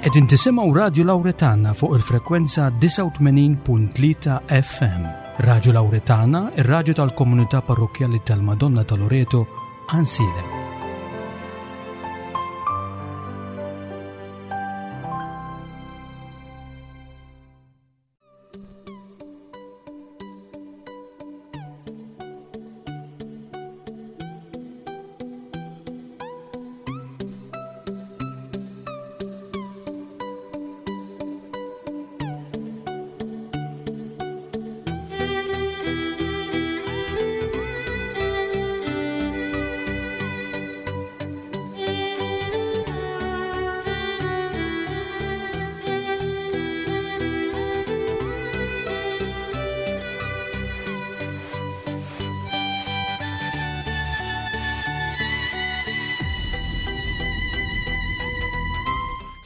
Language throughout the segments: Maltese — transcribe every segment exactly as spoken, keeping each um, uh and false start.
Qegħdin tisimgħu Radio Lauretana fuq il-frekwenza disgħa u tmenin punt tlieta F M. Radio Lauretana, ir-raġu tal-komunità parrokkjali tal-Madonna ta' Loreto, Għajnsielem.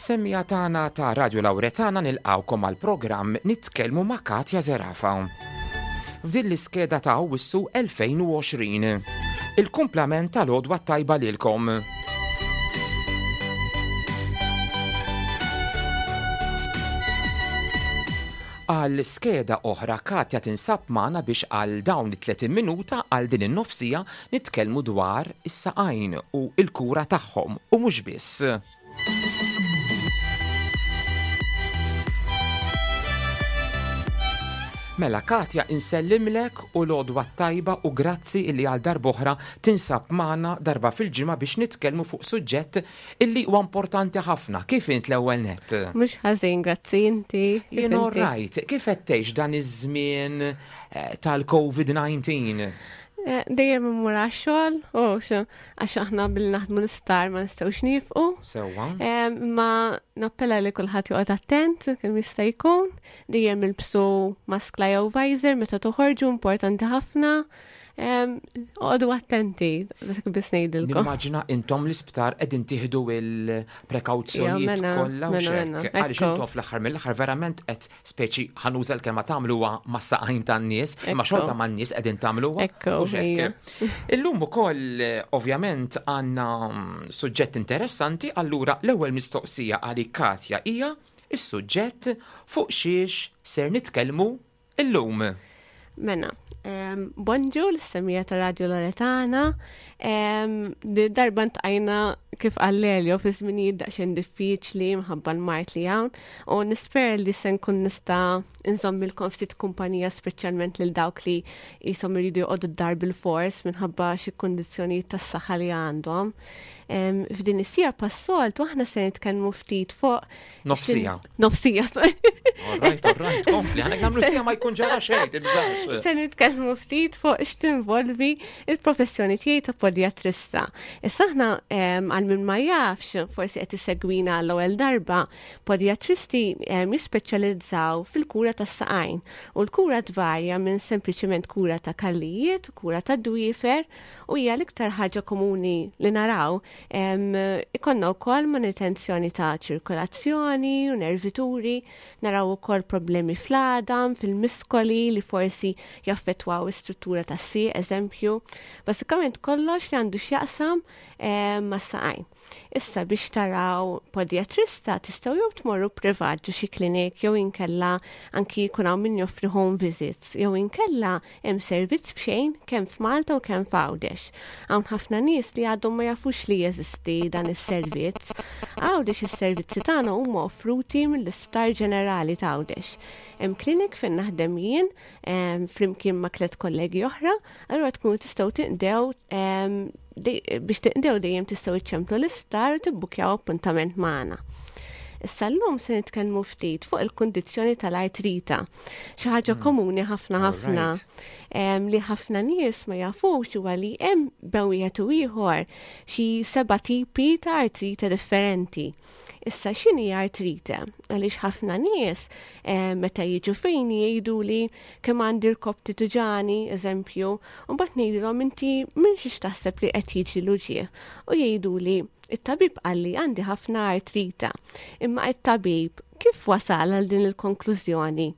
Semmiegħa tagħna ta' Radio Lauretana, nilqgħukom għal programm Nitkellmu ma' Katja Zerafa. F'din l-iskeda ta' Awwissu elfejn u għoxrin. Il-kumplament tal-għodwa tajba lilkom. Għal skeda oħra Katja tinsab magħna biex għal dawn it-tletin minuta, għal din in-nofsija, nitkellmu dwar is-saqajn u il-kura tagħhom u mhux biss. Mela Katja, insellimlek u l-għodwa tajba u grazzi illi għal darb'oħra tinsab magħna darba fil-ġimgħa biex nitkellmu fuq suġġett illi huwa importanti ħafna. Kif int l-ewwel net? Mhux ħażin, grazzi, inti. Kif Jien inti? Right, kif qed tgħix dan iż-żmien eh, tal-COVID disa? Eh, Dejjem immur għax-xogħol, u xo, għax aħna bil naħdmu l-isptar ma nistgħux nieqfu. Sewwa. Eh, Ma nappella li kulħadd joqgħod attent kemm jista' jkun, dejjem ilbsu maskla jew visor meta toħorġu, importanti ħafna. Em, Oqogħdu attenti, dak biss ngħidilkom. Nimmaġina intom l-isptar qegħdin tieħdu il-prekawzjonijiet Ja, mela, kollha u mela, xek. mela, Għaliex ekku. intom fl-aħħar mill-aħħar verament qed, speċi ħa nuża l-kelma, tagħmluha mas-saqajn tan-nies, imma Ekku. xorta man-nies qegħdin tagħmluha. Ekku, u xek. ija. Illum ukoll eh, ovvjament għandna mm, suġġett interessanti, allura l-ewwel mistoqsija għalik Katja hija is-suġġett fuq xiex ser nitkellmu illum. Mela, um, bonġu lis-semmiegħa ta' Radio Loretana. Um, di darba ltqajna, kif qal Lelio, fi żminijiet daqsxejn diffiċli minħabba l-mard li hawn u nispera li se nkun nista' nżommilkom ftit kumpanija, speċjalment lil dawk li jisom iridu joqogħdu d-dar bil-fors minħabba xi kundizzjonijiet tas-saħħa li għandhom. Um, F'din is-siegħa bħas-soltu aħna se nitkellmu ftit fuq Nofsija. Nofsija, sorry. All right, all right, kompli, ħa nagħmlu siegħa, ma jkun ġara xejn, tibżax. Se nitkellmu ftit fuq x'tinvolvi il-professjoni tiegħi ta' podjatrista. Issa aħna em, għal min ma jafx, forsi qed isegwina għall-ewwel darba, podjatristi em, jispeċjalizzaw fil-kura tas-saqajn u l-kura tvarja minn sempliċement kura ta' kallijiet, kura ta' dwiefer u hija l-iktar ħaġa komuni li naraw. Em, Ikollna wkoll manutenzjoni ta' ċirkolazzjoni u nervituri, naraw ukoll problemi fl-għadam, fil-miskoli li forsi jaffettwaw is-struttura tas-sieq, eżempju. Basikament kollox li għandu x'jaqsam eh, mas-saqajn. Issa biex taraw podjatrista tistgħu jew tmorru privat ġo xi klinik jew inkella anki jkun hawn min joffri home visits jew inkella hemm servizz b'xejn kemm f'Malta u kemm f'Għawdex. Hawn ħafna nies li għadhom ma jafux li jeżisti dan is-servizz. Għawdex is-servizzi tagħna huma offruti mill-Isptar Ġenerali ta' Għawdex. Hemm klinik fejn naħdem jien em, flimkien ma' tliet kollegi oħra, allura tkunu tistgħu tinqdew em, dej- biex tinqdew dejjem tistgħu iċċemplu l-isptar u tibbukjaw appuntament magħna. Issa llum se nitkellmu ftit fuq il-kundizzjoni tal-artrita. Xi ħaġa komuni ħafna ħafna Alright. em, li ħafna nies ma jafux huwa li hemm bejn wieħed u ieħor xi seba' tipi ta' artrita differenti. Issa x'inhi artrite? Għaliex ħafna nies em, meta jiġu fejn jgħidu li kemm għandi rkobti tuġani, eżempju, u mbagħad ngħidilhom inti minn xiex taħseb li qed jiġi l-uġigħ? U jgħidu li it-tabib qalli għandi ħafna artrita. Imma it-tabib kif wasal għal din il-konklużjoni?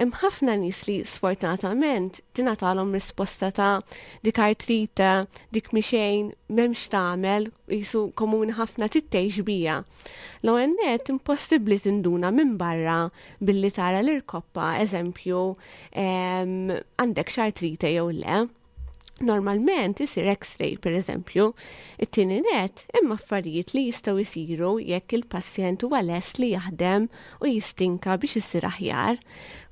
Hemm ħafna nies li sfortunatament tingħatalhom risposta ta' dik artrite, dik mhi xejn, m'hemmx tagħmel, qisu komuni ħafna trid tgħix biha. L-ewwel nett impossibbli tinduna minn barra billi tara l-irkoppa, eżempju, għandek x'artrite jew le. Normalment isir X-ray, per eżempju. It-tieni net, hemm affarijiet li jistgħu jsiru jekk il-pazjent huwa lest li jaħdem u jistinka biex isir aħjar.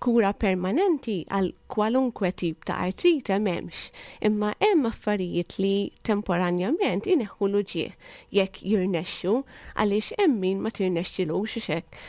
Kura permanenti għal kwalunkwe tip ta' artrite m'hemmx, imma hemm affarijiet li temporanjament ineħħu l-uġigħ jekk jirnexxu, għaliex hemm min ma tirnexxilux hekk.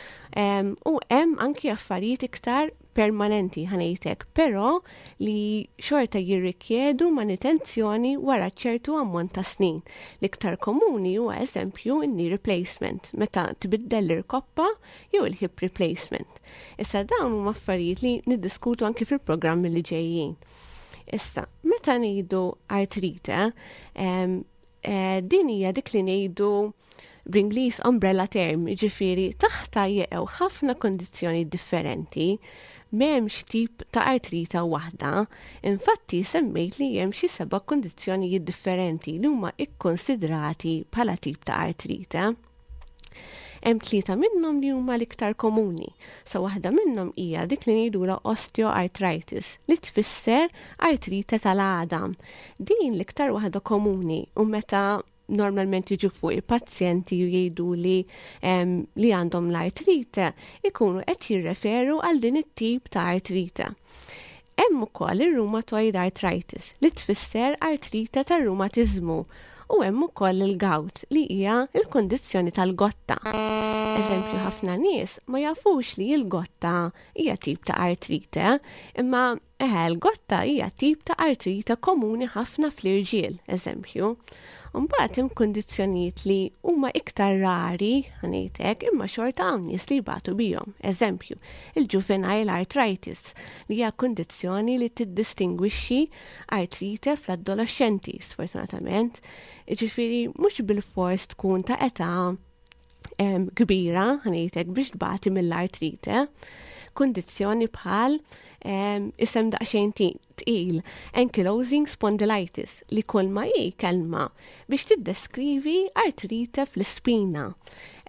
U hemm anki affarijiet iktar permanenti, ħa ngħidlek, però li xorta jirrikjedu manutenzjoni wara ċertu ammont ta' snin. L-iktar komuni huwa, eżempju, in-knee replacement, meta tbiddel l-irkoppa, jew il-hip replacement. Issa dawn huma affarijiet li niddiskutu anki fil-programmi li ġejjin. Issa, meta ngħidu artrite, eh, din hija dik li ngħidu bl-Ingliż umbrella term, ġifieri taħta jeqgħu ħafna kondizzjoni differenti, m'hemmx tip ta' artrita waħda. Infatti semmejt li hemm xi seba' kondizzjonijiet differenti li huma ikkonsidrati bħala tip ta' artrita. Hemm tlieta minnhom li huma l-iktar komuni. So waħda minnhom hija dik li ngħidulha osteoarthritis, li tfisser artrite tal-għadam. Din l-iktar waħda komuni u meta normalment jiġu fuq il-pazjenti u jgħidu li li għandhom l-artrite, ikunu qed jirreferu għal din it-tip ta' artrite. Hemm ukoll ir-rheumatoid arthritis, li tfisser artrite tar-rumatiżmu, u hemm ukoll il-gout, li hija l-kundizzjoni tal-gotta. Eżempju, ħafna nies ma jafux li l-gotta hija tip ta' artrite, imma eħe, l-gotta hija tip ta' artrite komuni ħafna fl-irġiel, eżempju. Mbagħad hemm kundizzjonijiet li huma iktar rari, ħa ngħidlek, imma xorta hawn nies li jbatu bihom. Eżempju, il-juvenile arthritis, li hija kundizzjoni li tiddistingwixxi artrite fl-adolescenti, sfortunatament. Ġifieri mhux bil-fors tkun ta' età kbira, ħa ngħidlek, biex tbati mill-artrite. Kundizzjoni bħal isem daqsxejn tqil, ankylosing spondylitis, li kull ma hi kelma biex tiddeskrivi artrite fl-ispina.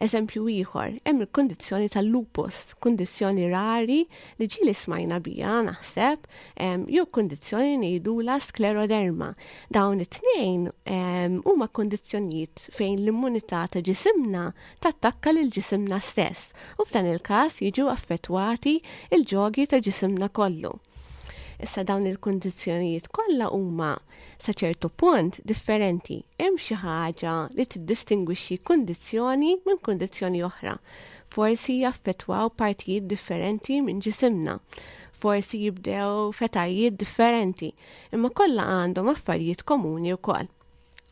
Eżempju ieħor, hemm il-kundizzjoni tal-lupus, kundizzjoni rari li ġieli smajna biha naħseb, jew kundizzjoni ngħidulha skleroderma. Dawn it-tnejn huma kundizzjonijiet fejn l-immunità ta' ġisimna tattakka lil ġisimna stess u f'dan il-każ jiġu affettwati il-ġogi ta' ġisimna kollu. Issa dawn il-kundizzjonijiet kollha huma sa ċertu punt differenti. Hemm xi ħaġa li tiddistingwixxi kundizzjoni minn kundizzjoni oħra. Forsi jaffettwaw partijiet differenti minn ġisimna. Forsi jibdew f'etajiet differenti, imma kollha għandhom affarijiet komuni wkoll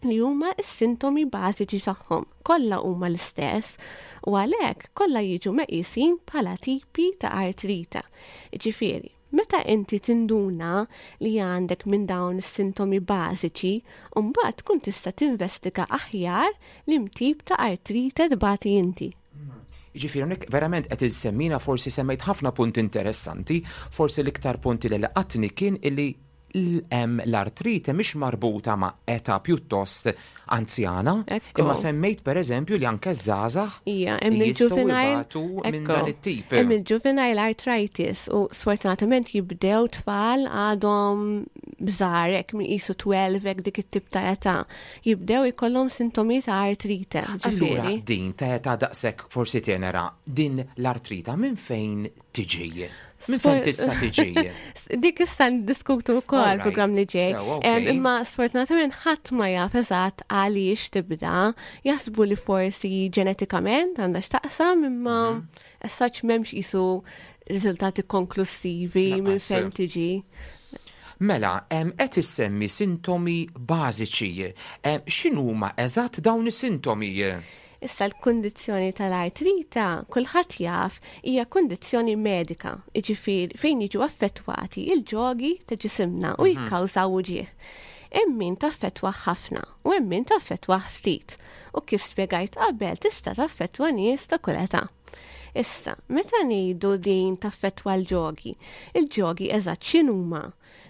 li huma s-sintomi bażiċi tagħhom. Kollha huma l-istess u għalhekk kollha jiġu meqisin bħala tipi ta' artrita. Ġifieri, meta inti tinduna li għandek minn dawn is-sintomi bażiċi, mbagħad tkun tista' tinvestiga aħjar liema tip ta' artrite tbati inti. Ġifieri, hawnhekk verament qed issemmina, forsi semmejt ħafna punti interessanti, forsi l-iktar punti li laqatni kien illi l-artrite mhix marbuta ma' età pjuttost anzjana, imma semmejt per eżempju li anke żgħażagħ Ija, hemm il-juvenile minn dan it-tip. Hemm il-juvenile arthritis u sfortunatament jibdew tfal għadhom żgħar, hekk minn qisu tnax, dik it-tip ta' età. Jibdew ikollhom sintomi ta' artrite. Allura din ta' età daqshekk forsi tenera, din l-artrita minn fejn tiġi? Minn fejn tista' tiġi? Dik issa ndiskutu wkoll programm li ġej. Imma sfortunatament ħadd ma jaf eżatt għaliex tibda. Jaħsbu li forsi ġenetikament għandha x'taqsam, imma mhm. as m'hemmx qisu riżultati konklusivi minn fejn tiġi. Mela, qed issemmi sintomi bażiċi. X'inhuma eżatt dawn is-sintomi? Issa l-kundizzjoni tal-artrita, kulħadd jaf, hija kundizzjoni medika, jiġifieri fejn jiġu affettwati il-ġogi ta' ġisimna u mhm. jikkawżaw uġigħ. Hemm min taffettwa ħafna u hemm min taffettwa ftit. U kif spjegajt qabel, tista' taffettwa nies ta' kull età. Issa, meta ngħidu din taffettwa l-ġogi, il-ġogi eżatt x'inhuma?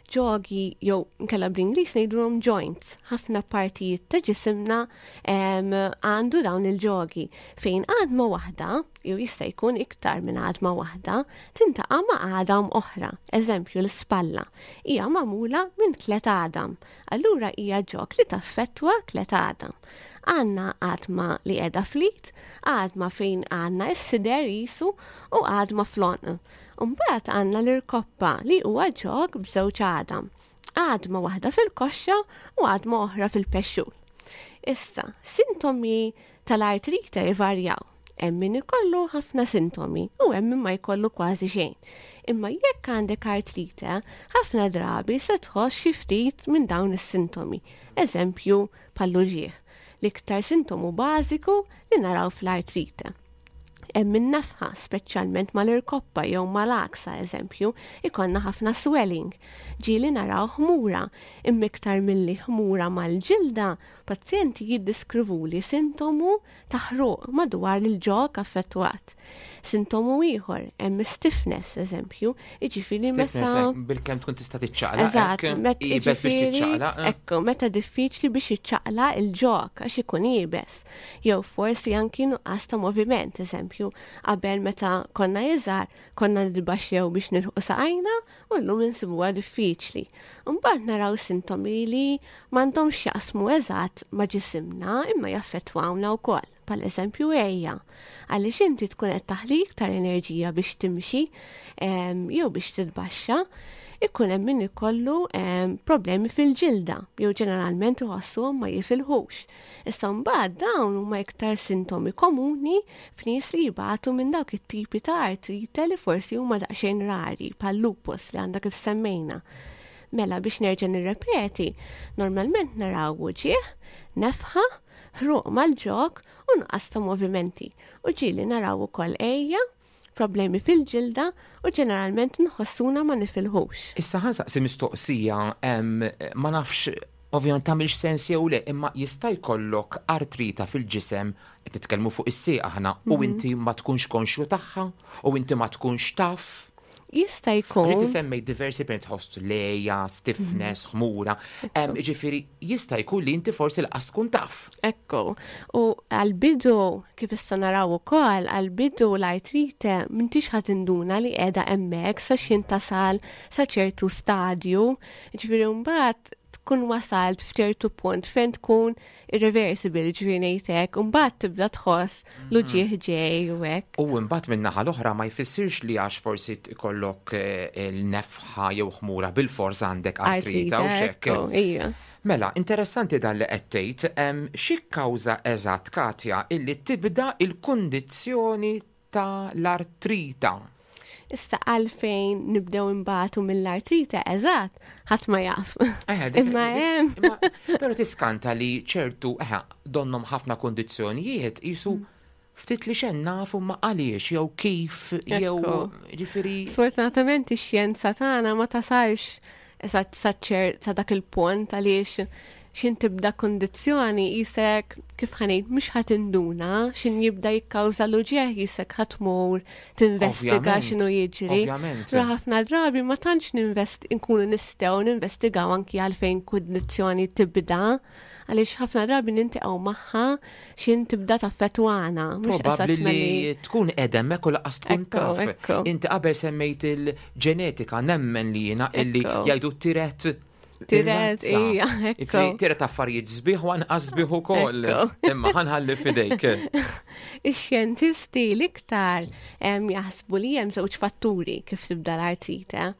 Ġogi jew nkella bl-Ingliż ngħidulhom joints. Ħafna partijiet ta' ġisimna għandu dawn il-ġogi fejn għadma waħda, jew jista' jkun iktar minn għadma waħda, tintaqa' ma' għadam oħra. Eżempju, l-ispalla hija magħmula minn tliet għadam. Allura hija ġog li taffettwa tliet għadam. Għandna għadma li qiegħda fl-id, għadma fejn għandna s-sider jisu u għadma fl-għonq. Mbagħad għandna l-irkoppa li huwa ġog b'żewġ għadam. Għadma waħda fil-koxxa u għadma oħra fil-pexxul. Issa, sintomi tal-artrite jvarjaw. Hemm min ikollu ħafna sintomi u hemm min ma jkollu kważi xejn. Imma jekk għandek artrite, ħafna drabi se tħoss xi ftit minn dawn is-sintomi. Eżempju, bħall-uġigħ. L-iktar sintomu bażiku li naraw fl-artrite. Hemm in-nefħa, speċjalment mal-irkoppa jew mal-għaksa, eżempju, ikollna ħafna swelling. Ġieli naraw ħmura, imma iktar milli ħmura mal-ġilda, pazjenti jiddiskrivuli sintomu ta' ħruq madwar il-ġog affettwat. Sintomu ieħor, hemm stiffness, eżempju, jiġifieri meta bil-kemm tkun tista' tiċċaqlaq. Eżatt, iebes biex tiċċaqlaq. Ekku, meta diffiċli biex jiċċaqlaq il-ġog għax ikun iebes. Jew forsi anki nuqqas ta' moviment, eżempju, qabel meta konna iżgħar konna nitbaxxew biex nilħqu saqajna u llum insibuha diffiċli. Mbagħad naraw sintomi li m'għandhomx jaqsmu eżatt ma' ġisimna imma jaffettwawna wkoll. Pal eżempju għeja, għaliex inti tkun qed taħli iktar enerġija biex timxi jew biex titbaxxa, ikun hemm min ikollu problemi fil-ġilda jew ġeneralment iħossuhom ma jifilħux. Issa mbagħad dawn huma iktar sintomi komuni f'nies li jibatu minn dawk it-tipi ta' artrite li forsi huma daqsxejn rari, bħal lupus li għandha kif semmejna. Mela biex nerġa' nirrepeti, normalment naraw uġigħ, nefħa, ħruq mal-ġog u nuqqas ta' movimenti. U ġieli naraw ukoll għeja, problemi fil-ġilda u ġeneralment nħossuna ma nifilħux. Issa ħa nsaqsi mistoqsija, ma nafx ovvjament tagħmilx sens jew le, imma jista' jkollok artrita fil-ġisem, qed titkellmu fuq is-sieq aħna, u inti ma tkunx konxju tagħha, u inti ma tkunx taf. Jista' jkun. Inti semmejt diversi per tħoss leja, stiffness, ħmura. Ġifieri jista' jkun li inti forsi laqas tkun taf. Ekku. U għal-bidu, kif issa naraw ukoll, għal-bidu l-artrite m'intix ħa tinduna li qiegħda hemmhekk sa x'ħin tasal sa ċertu stadju. Ġifieri mbagħad tkun wasalt f'ċertu punt fejn tkun irreversible, ġifieri ngħidlek, u mbagħad tibda tħoss l-uġigħ ġej u hekk. U mbagħad min-naħa l-oħra ma jfissirx li għax forsi ikollok il-nefħa jew ħmura bil-fors għandek artrita u xekk. Ija. Mela, interessanti dan li qed tgħid, xi kkawża eżatt, Katja, illi tibda il-kundizzjoni tal-artrita? Issa għalfejn nibdew imbatu mill-artrite, eżatt, ħadd ma jaf. Imma hemm. Però tiskanta li ċertu, eħe, donnom ħafna kondizzjonijiet jisu ftit li xejn nafu ma għaliex jew kif jew ġifieri. Sfortunatament ix-xjenza tagħna ma tasalx eżatt sa dak il-punt għaliex xin tibda kondizzjoni jisek kif ħanejt mhux ħa tinduna xin jibda jikkawża l-uġigħ jisek ħa tmur tinvestiga x'inhu jiġri. Ra ħafna drabi ma tantx ninvest inkunu nistgħu ninvestigaw anki għalfejn kundizzjoni tibda, għaliex ħafna drabi nintiqgħu magħha xin tibda taffettwana. Probabbli li tkun qiegħda hemmhekk u lanqas tkun taf. Inti qabel semmejt il-ġenetika, nemmen li jiena illi jgħidu tiret Tiret, ija, ekku. Tiret affarijiet sbieħ u anqas sbieħ ukoll. Imma ħanħalli f'idejk. Ix-xjentisti l-iktar jaħsbu li hemm żewġ fatturi kif tibda l-artrite.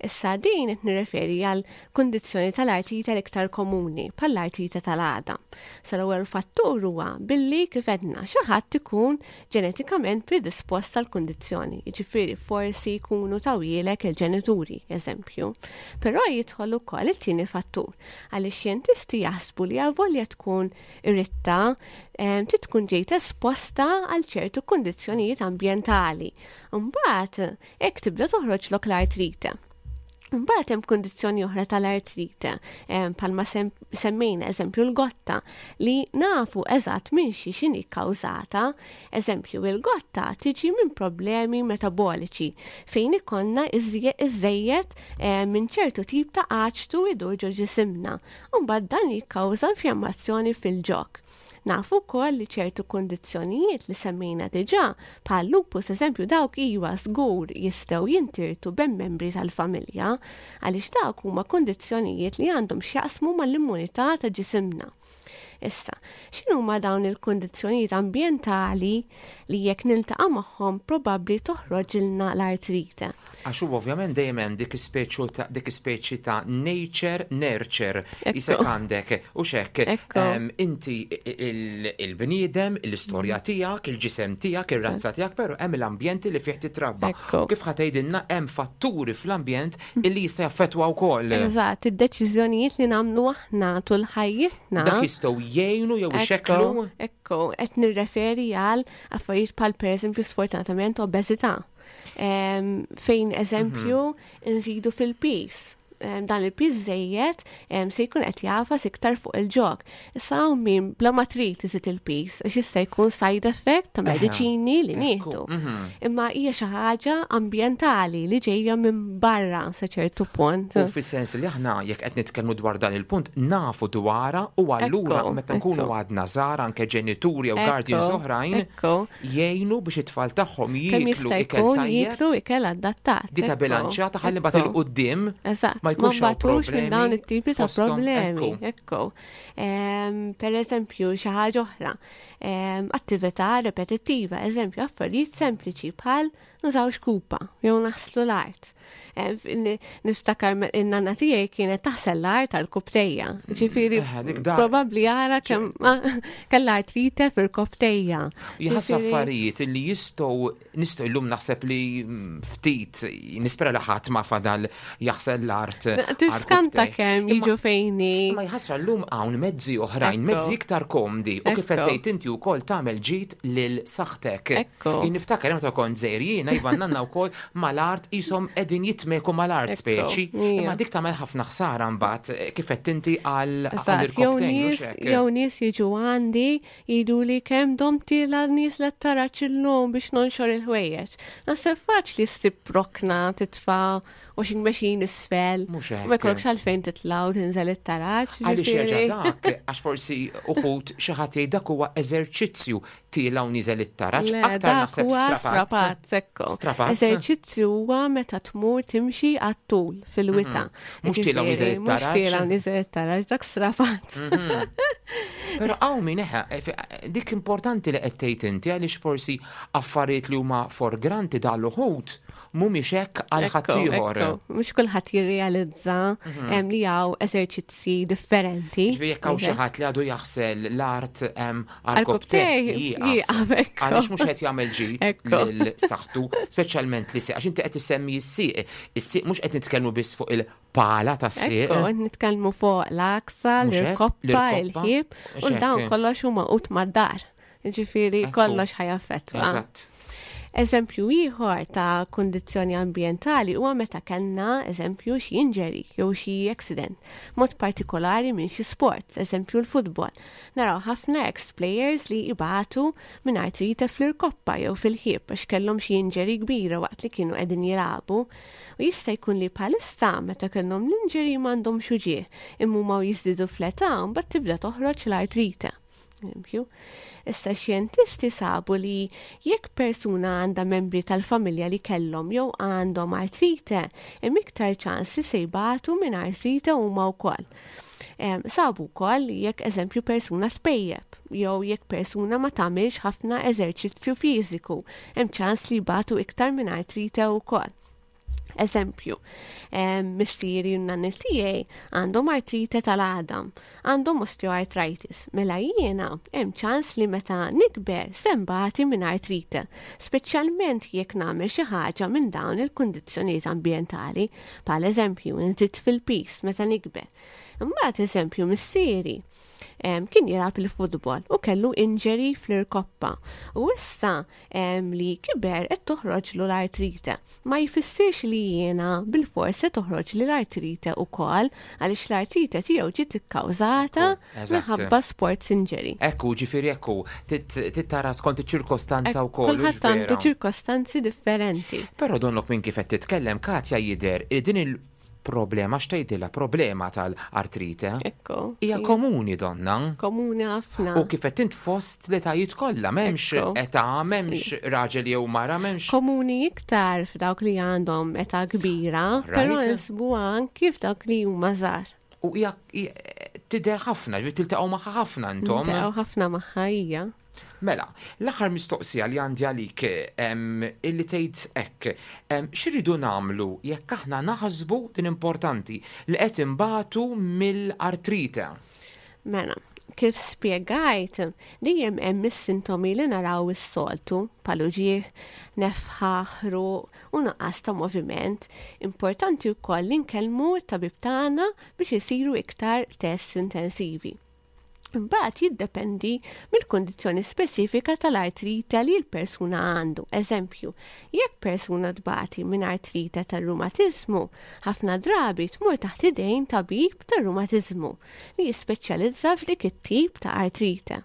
Issa din qed nirreferi għal kundizzjoni tal-artrite l-iktar komuni, bħall-artrite tal-għadam. Sa l-ewwel fattur huwa billi kif għedna xi ħadd ikun ġenetikament predispost għal kundizzjoni, jiġifieri forsi jkunu tawilek il-ġenituri, eżempju. Però jidħol ukoll it-tieni fattur, għaliex xjentisti jaħsbu li avolja tkun irritta, trid tkun ġejt esposta għal ċertu kundizzjonijiet ambjentali. Mbagħad hekk tibda toħroġlok l-artrite. Mbagħad hemm kundizzjoni oħra tal-artrite, bħalma semmejna eżempju l-gotta li nafu eżatt minn xi x'inhi kkawżata. Eżempju, il-gotta tiġi minn problemi metaboliċi fejn ikollna iżejjed minn ċertu tip ta' aċtu idur ġo ġisimna. U mbagħad dan jikkawża infjammazzjoni fil-ġog. Nafu wkoll li ċertu kundizzjonijiet li semmejna diġà, bħal lupus eżempju, dawk iwa żgur jistgħu jintirtu bejn membri tal-familja, għaliex dawk huma kundizzjonijiet li għandhom x'jaqsmu mal-immunità ta' ġisimna. Issa, x'inhuma dawn il-kundizzjonijiet ambjentali li jekk niltaqa' magħhom probabbli toħroġilna l-artrite? Għax hu ovvjament dejjem hemm dik ispeċi ta' dik ispeċi ta' nature nurture jisek għandek u xek inti il-bniedem, l-istorja tiegħek, il-ġisem tiegħek, ir-razza tiegħek, però hemm l-ambjenti li fih titrabba. Kif ħa tgħidilna, hemm fatturi fl-ambjent illi jista' jaffettwa wkoll. Eżatt, id-deċiżjonijiet li nagħmlu aħna tul ħajjitna. Dak jistgħu jgħinu jew ixekklu. Ekku, qed nirreferi għal affarijiet bħal, pereżempju, sfortunatament obeżità. Fejn eżempju mhm. nżidu fil-piż. Dan il-piż żejjed se jkun qed jagħfas iktar fuq il-ġog. Issa hawn min bla ma trid iżid il-piż, għax jista' jkun side effect ta' mediċini li nieħdu. Mhm. Imma hija xi ħaġa ambjentali li ġejja minn barra sa ċertu punt. U fis-sens li aħna jekk qed nitkellmu dwar dan il-punt nafu dwarha u allura meta nkunu għadna żgħar, anke ġenituri jew guardians oħrajn jgħinu biex it-tfal tagħhom jieklu ikel tajjeb. Jieklu ikel adattat. Dieta bilanċjata ħalli mbagħad 'il quddiem ma jkunx hawn minn dawn it-tipi ta' problemi. Ekku. Per eżempju, xi ħaġa oħra, attività repetittiva, eżempju, affarijiet sempliċi bħal nużaw xkupa jew naħslu l-art. Niftakar in-nanna tiegħi kienet taħsel l-art għal-rkopptejja. Ġifieri, eh, probabbli ara kemm kellha artrite fir-rkopptejja. Jħass affarijiet li jistgħu nistgħu llum naħseb li mm, ftit nispera li ħadd ma fadal jaħsel l-art. Tiskanta kemm jiġu fejni. Ma jħassra llum hawn mezzi oħrajn, mezzi iktar komdi u kif qed tgħid inti wkoll tagħmel ġid lil saħtek. Niftakar meta kont żgħir jiena, iva, nanna wkoll mal-art, qishom qegħdin jitmeku mal-art speċi. Imma dik tagħmel ħafna ħsara mbagħad eh, kif qed inti għal Jew nies jiġu għandi jgħidu li kemm domt tielgħa nieżla t-taraġ illum biex nonxor il-ħwejjeġ. Naħseb faċli ssib rokna titfa' washing machine isfel. Ma jkollokx għalfejn titla' u tinżel it-taraġ. Għaliex jerġa' dak, għax forsi uħud xi ħadd jgħid dak huwa eżerċizzju, tiela' u niżel it-taraġ, aktar naħseb strapazz. Strapazz. Eżerċizzju huwa meta tmur timxi għat-tul fil-wita. Mhm. Mhux tiela' u niżel it-taraġ. Mhux tiela' u niżel it-taraġ, dak strapazz. Mhm. Però hawn min eħe, eh, dik importanti li qed tgħid inti, għaliex forsi affarijiet li huma for granted għal uħud mhumiex hekk għal ħaddieħor. Mhux kulħadd jirrealizza mhm. li hawn eżerċizzi differenti. Ġifieri jekk hawn xi ħadd li għadu jaħsel l-art għal għal għaliex mhux qed jagħmel ġid lil saħħtu, speċjalment li għax inti qed issemmi s-sieq. Is-sieq mhux qed nitkellmu biss fuq il-pala tas-sieq. Qed nitkellmu fuq l-aksa, l-irkoppa, il-ħib, u dawn kollox huma ut mad-dar. Ġifieri kollox ħa jaffettwa. Eżatt. Eżempju ieħor ta' kundizzjoni ambjentali huwa meta kellna, eżempju, xi injury jew xi accident, mod partikolari minn xi sport, eżempju l-futbol. Naraw ħafna ex-players li ibatu minn artrite fl-irkoppa jew fil-ħib għax kellhom xi injury kbira waqt li kienu qegħdin jilagħbu. U jista' jkun li bħalissa meta kellhom l-injury m'għandhomx uġigħ, imma huma jiżdiedu fl-età mbagħad tibda toħroġ l-artrite. Eżempju. Issa, xjentisti sabu li jekk persuna għandha membri tal-familja li kellhom jew għandhom artrite, hemm iktar ċans li se jbatu minn artrite huma wkoll. Sabu wkoll li jekk, eżempju, persuna tpejjep jew jekk persuna ma tagħmilx ħafna eżerċizzju fiżiku, hemm ċans li jbatu iktar minn artrite wkoll. Eżempju, missieri u nanni tiegħi għandhom artrite tal-għadam, għandhom osteoarthritis. Mela jiena hemm ċans li meta nikber se nbati minn artrite, speċjalment jekk nagħmel xi ħaġa minn dawn il-kundizzjonijiet ambjentali, bħal eżempju nżid fil-piż meta nikber. Imbagħad, eżempju, missieri kien jilgħab il-futbol u kellu injury fl-irkoppa. U issa li kiber qed toħroġlu l-artrite. Ma jfissirx li jiena bil-forsi toħroġ li l-artrite ukoll, għaliex l-artrite tiegħu ġiet ikkawżata minħabba sports injury. Ekku, ġifieri ekku, tittara skont iċ-ċirkostanza wkoll. Kulħadd għandu ċirkostanzi differenti. Però donnok minn kif qed titkellem, Katja, jidher din il problema, x'tgħidilha, problema tal-artrite. Ekku. Hija komuni donna. Komuni ħafna. U kif qed int fost l-etajiet kollha, m'hemmx età, m'hemmx raġel jew mara, m'hemmx. Komuni iktar f'dawk li għandhom età kbira, però nsibuha anki f'dawk li huma żgħar. U hija tidher ħafna, tiltaqgħu magħha ħafna intom. Tiltaqgħu ħafna magħha hija. Mela, l-aħħar mistoqsija li għandi għalik illi tgħid hekk, x'iridu nagħmlu jekk aħna naħsbu, din importanti, li qed inbatu mill-artrite? Mela, kif spjegajt, dejjem hemm is-sintomi li naraw is-soltu, bħal uġigħ, nefħa, ħruq u nuqqas ta' moviment. Importanti wkoll li nkellmu t-tabib tagħna biex isiru iktar tests intensivi. Imbagħad jiddependi mill-kundizzjoni speċifika tal-artrite li l-persuna għandu. Eżempju, jekk persuna tbati minn artrite tar-rumatiżmu, ħafna drabi tmur taħt idejn tabib tar-rumatiżmu li jispeċjalizza f'dik it-tip ta' artrite.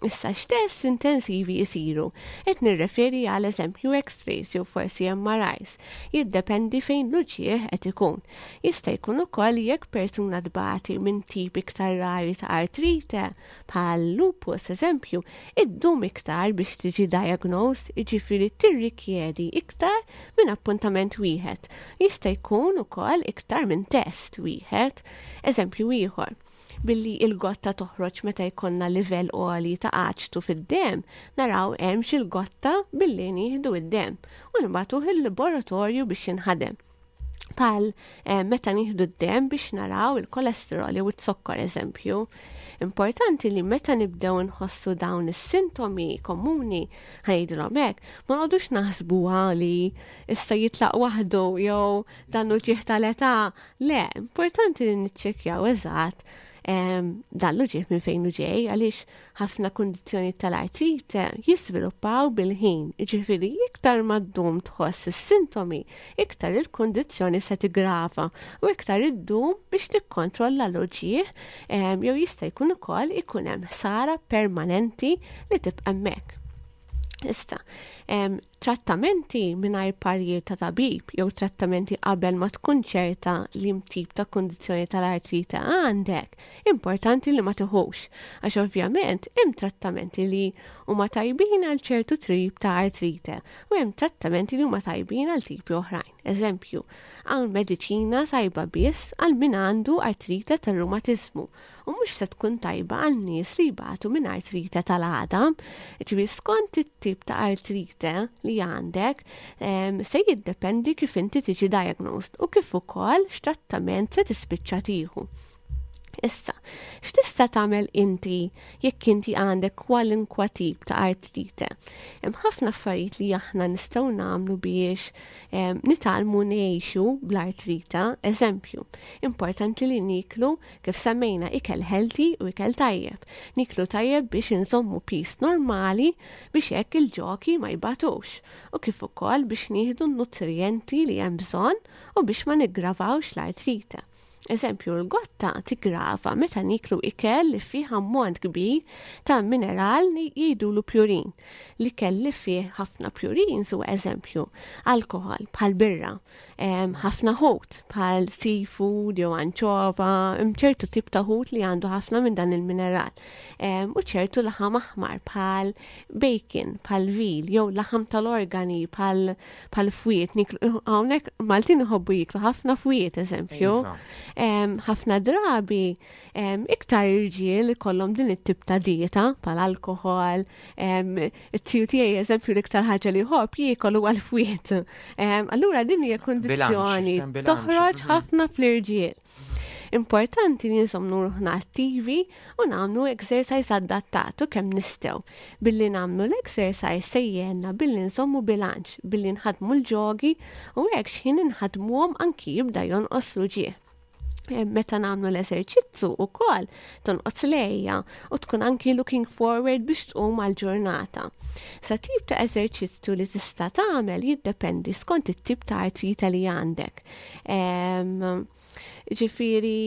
Issa, x'test intensivi jisiru? Qed nirreferi għal eżempju X-rays jew forsi M R Is. Jiddependi fejn l-uġigħ qed ikun. Jista' jkun ukoll jekk persuna tbati minn tip iktar rari ta' artrite bħal lupus, eżempju, iddum iktar biex tiġi diagnosed, jiġifieri tirrikjedi iktar minn appuntament wieħed. Jista' jkun ukoll iktar minn test wieħed. Eżempju ieħor, billi il-gotta toħroġ meta jkollna livell għoli ta' aċtu fid-dem, naraw hemm il-gotta billi nieħdu id-dem u nibagħtuh il-laboratorju biex jinħadem. Bħal eh, meta nieħdu d-dem biex naraw il-kolesterol jew it-zokkor, eżempju. Importanti li meta nibdew nħossu dawn is-sintomi komuni, ħa ngħidilhom hekk, ma noqogħdux naħsbuha li issa jitlaq waħdu jew dan uġigħ tal-età. Le, importanti li niċċekkjaw eżatt dan l-uġigħ minn fejn ġej, għaliex ħafna kundizzjoni tal-artrite jisviluppaw bil-ħin. Ġifieri iktar ma ddum tħoss is-sintomi, iktar il-kundizzjoni se tigrava u iktar iddum biex tikkontrolla l-uġigħ, jew jista' jkun ukoll ikun hemm ħsara permanenti li tibqa' hemmhekk. Issa, trattamenti mingħajr parir ta' tabib jew trattamenti qabel ma tkun ċerta li tip ta' kundizzjoni tal-artrite għandek, importanti li ma tiħux. Għax ovvjament hemm trattamenti li huma tajbin għal ċertu tip ta' artrite u hemm trattamenti li huma tajbin għal tipi oħrajn. Eżempju, hawn mediċina tajba biss għal min għandu artrite tar-rumatiżmu u mhux se tkun tajba għal nies li jbatu minn artrite tal-għadam. Ġifieri skont it-tip ta' artrite li għandek se jiddependi kif inti tiġi diagnosed u kif ukoll x'trattament se tispiċċa tieħu. Issa, x'tista' tagħmel inti jekk inti għandek kwalinkwa tip ta' artrite? Hemm ħafna affarijiet li aħna nistgħu nagħmlu biex nitgħallmu ngħixu bl-artrite. Eżempju, importanti li niklu, kif semmejna, ikel healthy u ikel tajjeb. Niklu tajjeb biex inżommu piż normali biex hekk il-ġogi ma jbatux u kif ukoll biex nieħdu n-nutrijenti li hemm bżonn u biex ma niggravawx l-artrite. Eżempju, l-gotta tigrava meta niklu ikel li fih ammont kbir ta' mineral li jgħidulu purine. L-ikel li fih ħafna purines u eżempju, alkohol bħal birra, ħafna ħut bħal seafood jew anċova, ċertu tip ta' ħut li għandu ħafna minn dan il-mineral. U ċertu laħam aħmar bħal bacon, bħal veal, jew laħam tal-organi bħal bħal fwiet. Hawnhekk Maltin iħobbu jiklu ħafna fwiet, eżempju. Iva. Ħafna drabi iktar irġiel ikollhom din it-tip ta' dieta bħal alkohol, it-tiju tiegħi, eżempju, l-iktar ħaġa li jħobb jiekol huwa l-fwiet. Allura din hija kundizzjoni toħroġ mhm. ħafna fl-irġiel. Importanti li nżommu ruħna attivi u nagħmlu exercise adattatu kemm nistgħu. Billi nagħmlu l-exercise se jgħinna billi nżommu bilanċ, billi nħadmu l-ġogi u hekk x'ħin inħadmuhom anki jibda jonqos l-uġigħ. Meta nagħmlu l-eżerċizzu ukoll tonqos l-għeja u tkun anki looking forward biex tqum għal-ġurnata. Sa tip ta' eżerċizzju li tista' tagħmel jiddependi skont it-tip ta' artrite li għandek. Ġifieri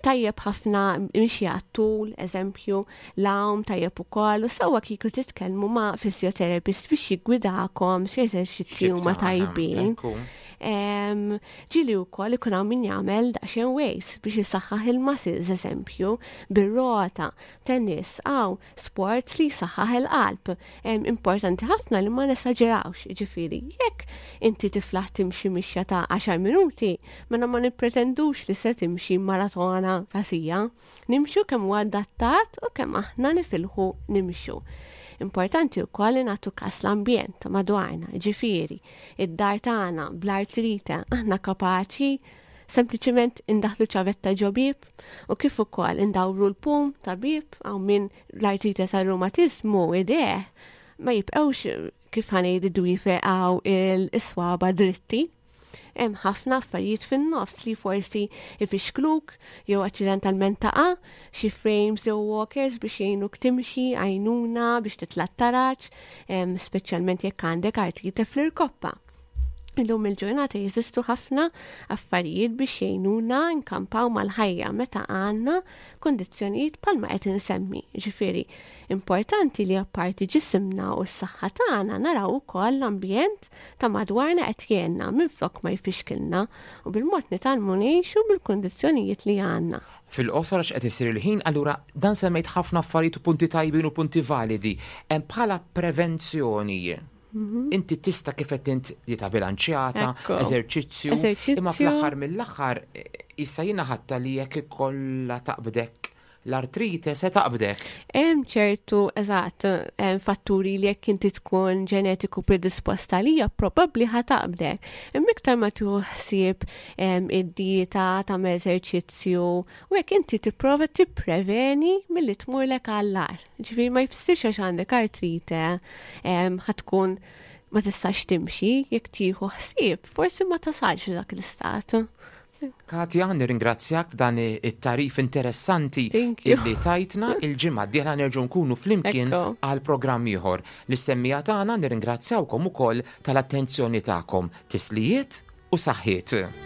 tajjeb ħafna mixi għat-tul, eżempju, l-għawm tajjeb ukoll, u sewwa kieku titkellmu ma' physiotherapist biex jiggwidakom x'eżerċizzji huma tajbin. Ġieli wkoll ikun hawn min jagħmel daqsxejn weights biex jisaħħaħ il-muscles, eżempju, bir-rota, tennis, aw sports li jisaħħaħ il-qalb. Importanti ħafna li ma nesaġerawx, ġifieri, jekk inti tiflaħ timxi mixja ta' għaxar minuti, mela ma nippretendux li se timxi maratona ta' siegħa. Nimxu kemm huwa adattat u kemm aħna nifilħu nimxu. Importanti wkoll li nagħtu kas l-ambjent ta' madwarna, ġifieri, id-dar tagħna bl-artrite aħna kapaċi sempliċiment indaħlu ċavetta ġo bieb u kif ukoll indawru l-pum ta' bieb għaw min l-artrite tar-rumatiżmu idejh ma jibqgħux kif ħa ngħid id-dwiefer għaw il-swaba dritti. Hemm ħafna affarijiet fin-nofs li forsi ifixkluk jew aċċidentalment taqa', xi frames jew walkers biex jgħinuk timxi, għajnuna biex titla' taraġ, speċjalment jekk għandek artrite fl-irkoppa. Illum il-ġurnata jeżistu ħafna affarijiet biex jgħinuna nkampaw mal-ħajja meta għandna kundizzjonijiet bħalma qed insemmi. Ġifieri, importanti li apparti ġisimna u s-saħħa tagħna naraw ukoll l-ambjent ta' madwarna qed jgħinna minflok ma jfixkilna u bil-mod nitgħallmu ngħixu bil-kundizzjonijiet li għandna. Fil-qosor għax qed isir il-ħin, allura dan semmejt ħafna affarijiet u punti tajbin u punti validi. Hemm bħala prevenzjoni. Inti tista' kif qed int dieta bilanċjata, Ekku. eżerċizzju, Eżerċizzju. imma fl-aħħar mill-aħħar issa jiena ħatta li jekk ikollha taqbdek l-artrite se taqbdek. Hemm ċertu, eżatt, hemm fatturi li jekk inti tkun ġenetiku predisposta għalija probabbli ħa taqbdek. Imma iktar ma tieħu ħsieb id-dieta, tagħmel eżerċizzju, u jekk inti tipprova tippreveni milli tmurlek għall-agħar. Ġifieri ma jfissirx għax għandek artrite ħa tkun ma tistax timxi, jekk tieħu ħsieb, forsi ma tasalx dak l-istat. Katja, nirringrazzjak dan it-tarif interessanti Thank you. illi tajtna. Il-ġimgħa d-dieħla nerġgħu nkunu flimkien Ekku. għal programm ieħor. Lis-semmiegħa tagħna nirringrazzjawkom ukoll tal-attenzjoni tagħkom. Tislijiet u saħħiet.